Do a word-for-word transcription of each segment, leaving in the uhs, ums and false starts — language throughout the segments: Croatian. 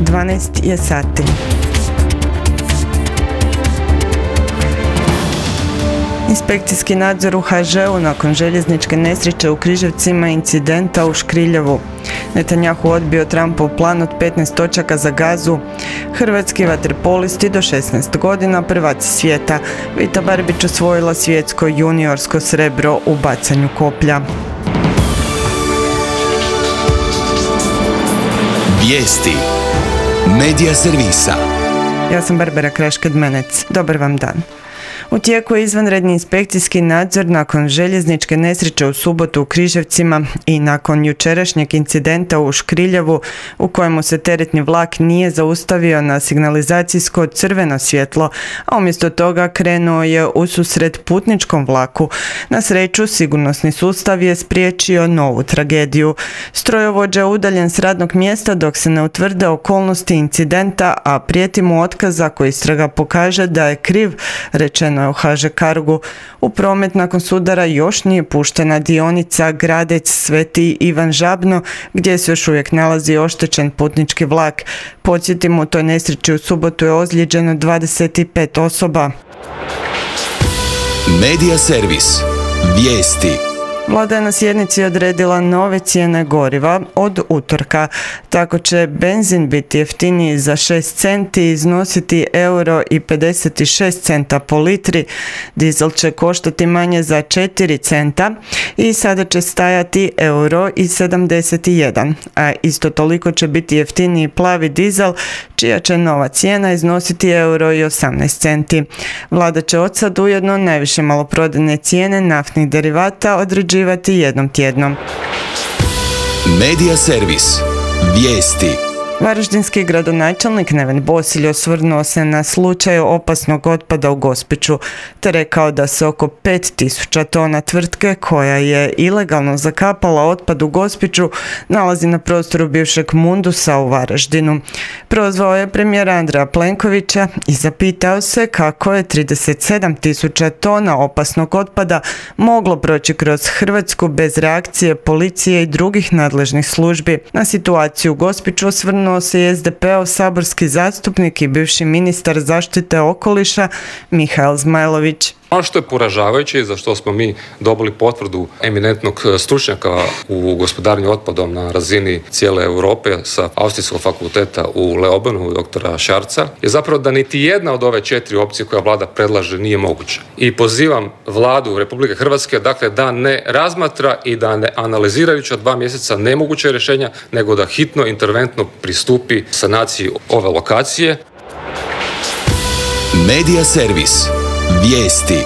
dvanaest je sati. Inspekcijski nadzor u ha žeu nakon željezničke nesreće u Križevcima i incidenta u Škriljevu. Netanjahu odbio Trumpov plan od petnaest točaka za Gazu. Hrvatski vaterpolisti do šesnaest godina prvaci svijeta. Vita Barbić osvojila svjetsko juniorsko srebro u bacanju koplja. Vijesti Medija servisa. Ja sam Barbara Kraš-Kedmenec. Dobar vam dan. U tijeku je izvanredni inspekcijski nadzor nakon željezničke nesreće u subotu u Križevcima i nakon jučerašnjeg incidenta u Škriljevu u kojemu se teretni vlak nije zaustavio na signalizacijsko crveno svjetlo, a umjesto toga krenuo je ususret putničkom vlaku. Na sreću, sigurnosni sustav je spriječio novu tragediju. Strojovođa je udaljen s radnog mjesta dok se ne utvrde okolnosti incidenta, a prijeti mu otkaz ako istraga pokaže da je kriv, rečeno u ha že Cargu. U promet nakon sudara još nije puštena dionica Gradec-Sveti Ivan Žabno, gdje se još uvijek nalazi oštećen putnički vlak. Podsjetimo, u toj nesreći u subotu je ozlijeđeno dvadeset pet osoba. Medija servis. Vijesti. Vlada je na sjednici odredila nove cijene goriva od utorka. Tako će benzin biti jeftiniji za šest centi i iznositi euro i pedeset šest centa po litri. Dizel će koštati manje za četiri centa i sada će stajati euro i sedamdeset jedan. A isto toliko će biti jeftiniji plavi dizel, čija će nova cijena iznositi euro i osamnaest centi. Vlada će od sad ujedno najviše maloprodajne cijene naftnih derivata određivati jednom tjednom. Medija servis. Vijesti. Varaždinski gradonačelnik Neven Bosilj osvrnuo se na slučaj opasnog otpada u Gospiću, te rekao da se oko pet tisuća tona tvrtke koja je ilegalno zakapala otpad u Gospiću nalazi na prostoru bivšeg Mundusa u Varaždinu. Prozvao je premijera Andreja Plenkovića i zapitao se kako je trideset sedam tisuća tona opasnog otpada moglo proći kroz Hrvatsku bez reakcije policije i drugih nadležnih službi. Na situaciju u Gospiću osvrnuo se i es de peov saborski zastupnik i bivši ministar zaštite okoliša Mihael Zmajlović. Ono što je poražavajuće i za što smo mi dobili potvrdu eminentnog stručnjaka u gospodarenju otpadom na razini cijele Europe sa Austrijskog fakulteta u Leobanu, doktora Šarca, je zapravo da niti jedna od ove četiri opcije koja vlada predlaže nije moguća. I pozivam vladu Republike Hrvatske dakle, da ne razmatra i da ne analizirajući od dva mjeseca nemoguće rješenja, nego da hitno interventno pristupi sanaciji ove lokacije. Medija servis. Vijesti.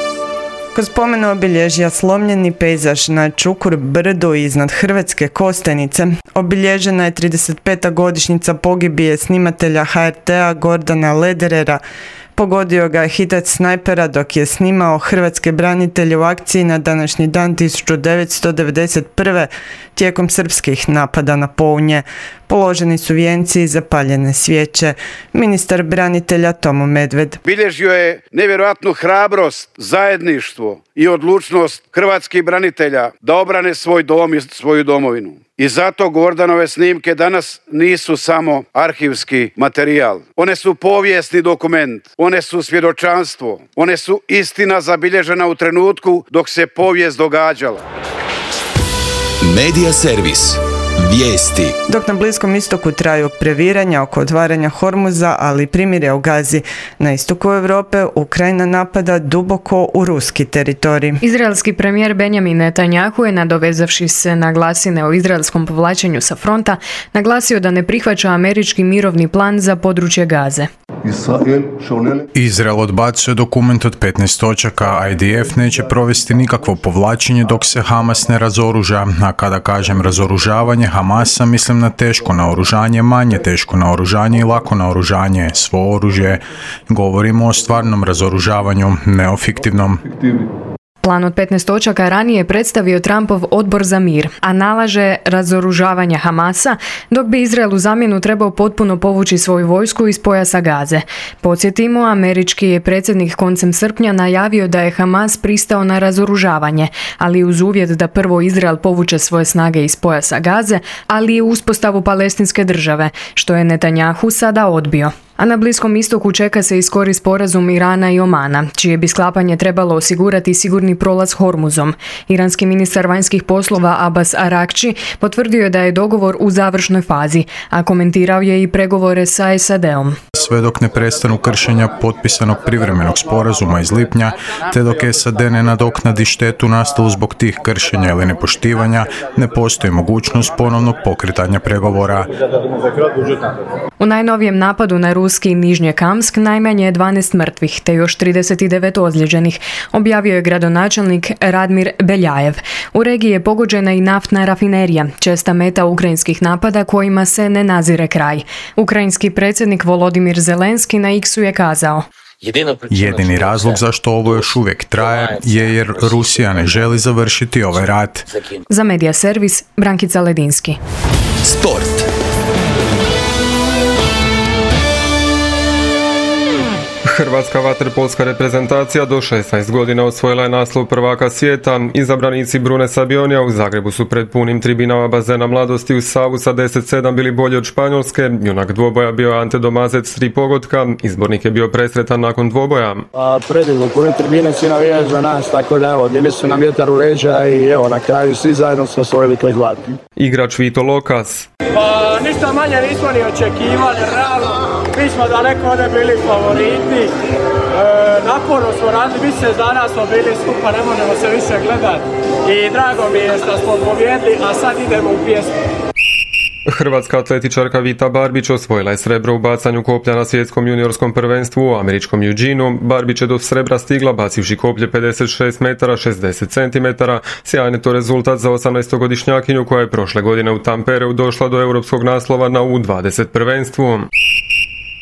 Kroz spomen obilježja slomljeni pejzaž na Čukur brdu iznad Hrvatske Kostajnice obilježena je trideset peta godišnjica pogibije snimatelja ha er te-a Gordana Lederera. Pogodio ga je hitac snajpera dok je snimao hrvatske branitelje u akciji na današnji dan tisuću devetsto devedeset prve tijekom srpskih napada na Pounje. Položeni su vijenci i zapaljene svijeće. Ministar branitelja Tomo Medved. Bilježio je nevjerojatnu hrabrost, zajedništvo i odlučnost hrvatskih branitelja da obrane svoj dom i svoju domovinu. I zato Gordanove snimke danas nisu samo arhivski materijal. One su povijesni dokument, one su svjedočanstvo, one su istina zabilježena u trenutku dok se povijest događala. Medija servis. Vijesti. Dok na Bliskom istoku traju previranja oko otvaranja Hormuza, ali primirje u Gazi, na istoku Europe Ukrajina napada duboko u ruski teritorij. Izraelski premijer Benjamin Netanjahu je, nadovezavši se na glasine o izraelskom povlačenju sa fronta, naglasio da ne prihvaća američki mirovni plan za područje Gaze. Izrael odbacuje dokument od petnaest točaka, a i de ef neće provesti nikakvo povlačenje dok se Hamas ne razoruža, a kada kažem razoružavanje Hamasa mislim na teško naoružanje, manje teško naoružanje i lako naoružanje, svo oružje. Govorimo o stvarnom razoružavanju, ne o fiktivnom. Plan od petnaest točaka ranije je predstavio Trumpov odbor za mir, a nalaže razoružavanje Hamasa, dok bi Izrael u zamjenu trebao potpuno povući svoju vojsku iz pojasa Gaze. Podsjetimo, američki je predsjednik koncem srpnja najavio da je Hamas pristao na razoružavanje, ali uz uvjet da prvo Izrael povuče svoje snage iz pojasa Gaze, ali i uspostavu palestinske države, što je Netanjahu sada odbio. A na Bliskom istoku čeka se i skori sporazum Irana i Omana, čije bi sklapanje trebalo osigurati sigurni prolaz Hormuzom. Iranski ministar vanjskih poslova Abbas Arakči potvrdio je da je dogovor u završnoj fazi, a komentirao je i pregovore sa S A D-om. Sve dok ne prestanu kršenja potpisanog privremenog sporazuma iz lipnja, te dok S A D ne nadoknadi štetu nastalu zbog tih kršenja ili nepoštivanja, ne postoji mogućnost ponovnog pokretanja pregovora. U najnovijem napadu na ruski Nižnjekamsk najmanje je dvanaest mrtvih, te još trideset devet ozlijeđenih, objavio je gradonačelnik Radmir Beljajev. U regiji je pogođena i naftna rafinerija, česta meta ukrajinskih napada kojima se ne nazire kraj. Ukrajinski predsjednik Volodimir Zelenski na X-u je kazao: Jedini razlog zašto ovo još uvijek traje je jer Rusija ne želi završiti ovaj rat. Za Medija servis, Brankica Ledinski. Sport. Hrvatska vaterpolska reprezentacija do šesnaest godina osvojila je naslov prvaka svijeta. Izabranici Brune Sabionija u Zagrebu su pred punim tribinama bazena Mladosti u Savu sa deset sedam bili bolji od Španjolske. Junak dvoboja bio je Ante Domazec s tri pogotka. Izbornik je bio presretan nakon dvoboja. A predivno, pune tribine svi navijaju za nas, tako da evo, bili su nam vjetar u leđa i evo, na kraju svi zajedno smo osvojili taj zlatni. Igrač Vito Lokas. Pa ništa manje nismo ni očekivali, realno. Mi smo daleko ovdje bili favoriti, e, naporno smo radili, mjesec dana smo bili skupa, ne možemo se više gledati i drago mi je što smo pobjedili, a sad idemo u pjesmu. Hrvatska atletičarka Vita Barbić osvojila je srebro u bacanju koplja na svjetskom juniorskom prvenstvu u američkom Eugeneu. Barbić je do srebra stigla bacivši koplje pedeset šest metara šezdeset centimetara. Sjajan je to rezultat za osamnaestogodišnjakinju koja je prošle godine u Tampereu došla do europskog naslova na U dvadeset prvenstvu.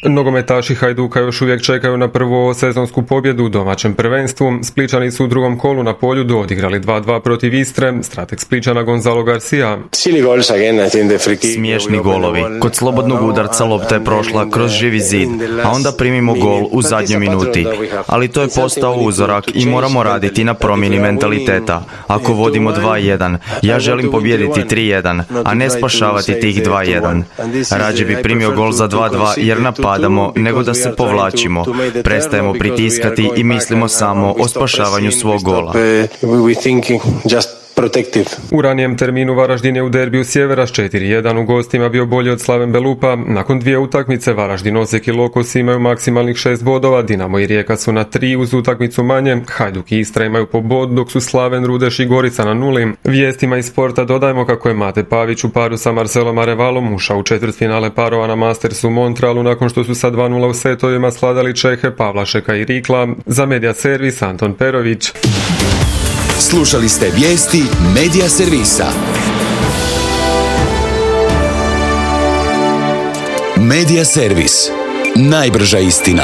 Nogometaši Hajduka još uvijek čekaju na prvu sezonsku pobjedu u domaćem prvenstvu. Spličani su u drugom kolu na Poljudu odigrali dva dva protiv Istre. Strateg Spličana Gonzalo Garcia. Smiješni golovi. Kod slobodnog udarca lopta je prošla kroz živi zid, a onda primimo gol u zadnjoj minuti. Ali to je postao uzorak i moramo raditi na promjeni mentaliteta. Ako vodimo dva jedan, ja želim pobijediti tri jedan, a ne spašavati tih dva jedan. Rađe bi primio gol za dva dva jer napadamo nego da se povlačimo. Prestajemo pritiskati i mislimo samo o spašavanju svog gola. U ranijem terminu Varaždin je u derbiju Sjevera s četiri jedan u gostima bio bolji od Slaven Belupa. Nakon dvije utakmice Varaždin, Osijek i Lokos imaju maksimalnih šest bodova, Dinamo i Rijeka su na tri uz utakmicu manje, Hajduk i Istra imaju po bod, dok su Slaven, Rudeš i Gorica na nuli. Vijestima iz sporta dodajemo kako je Mate Pavić u paru sa Marcelom Arevalom ušao u četvrtfinale parova na Mastersu u Montrealu nakon što su sa dva nula u setovima sladali Čehe Pavlašeka i Rikla. Za Medija servis Anton Perović. Slušali ste vijesti Medija servisa. Medija servis. Najbrža istina.